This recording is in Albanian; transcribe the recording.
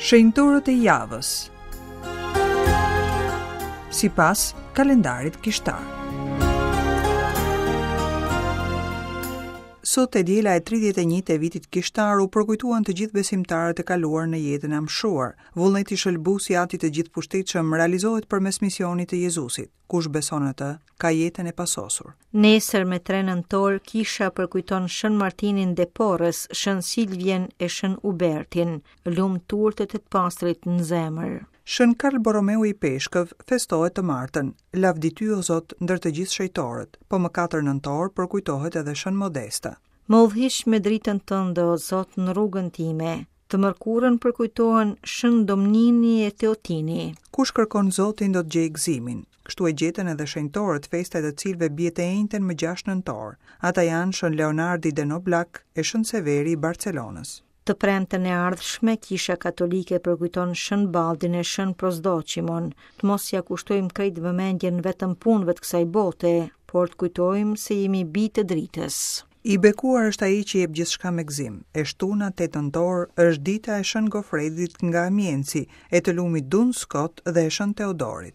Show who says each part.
Speaker 1: Shenjtorët e javës. Sipas kalendarit kishtar. Sot e diela e 31 e vitit kishtar u përkujtuan të gjithë besimtarët e kaluar në jetën e amshuar. Vullneti shëlbues i Atit të Gjithëpushtetshëm realizohet përmes misionit të Jezusit. Kush beson në të, ka jetën e pasosur.
Speaker 2: Nesër me 3 nëntor kisha përkujton Shën Martinin de Porres, Shën Silvien e Shën Ubertin, lum turtët e të pastrit në zemër.
Speaker 1: Shën Karl Borromeu Ipeshkëv festohet të martën, Lavdi ty o Zot ndër të gjithë shejtorët, po më 4 nëntor përkujtohet edhe Shën Modesta.
Speaker 2: Më udhëhiq me dritën tënde o Zot në rrugën time. Të mërkurën përkujtohen Shën Domnini e Teotini.
Speaker 1: Kush kërkon Zotin do të gjejë gëzimin. Kështu e gjetën edhe shenjtorët, festa e të cilëve bie të enjten më 6 nëntor. Ata janë Shën Leonardi de Noblac e Shën Severi i Barcelonës.
Speaker 2: Të premten e ardhshme, Kisha Katolike përkujton Shën Baldin e Shën Prosdoqimon. Të mos ia kushtojmë krejt vëmendjen vetëm punëve të kësaj bote, por të kujtojmë se jemi bij të dritës.
Speaker 1: I bekuar është ai që jep gjithçka me gëzim. E shtuna 8 nëntor është dita e Shën Gofredit nga Amiensi, e të lumit Duns Skot dhe e Shën Teodorit.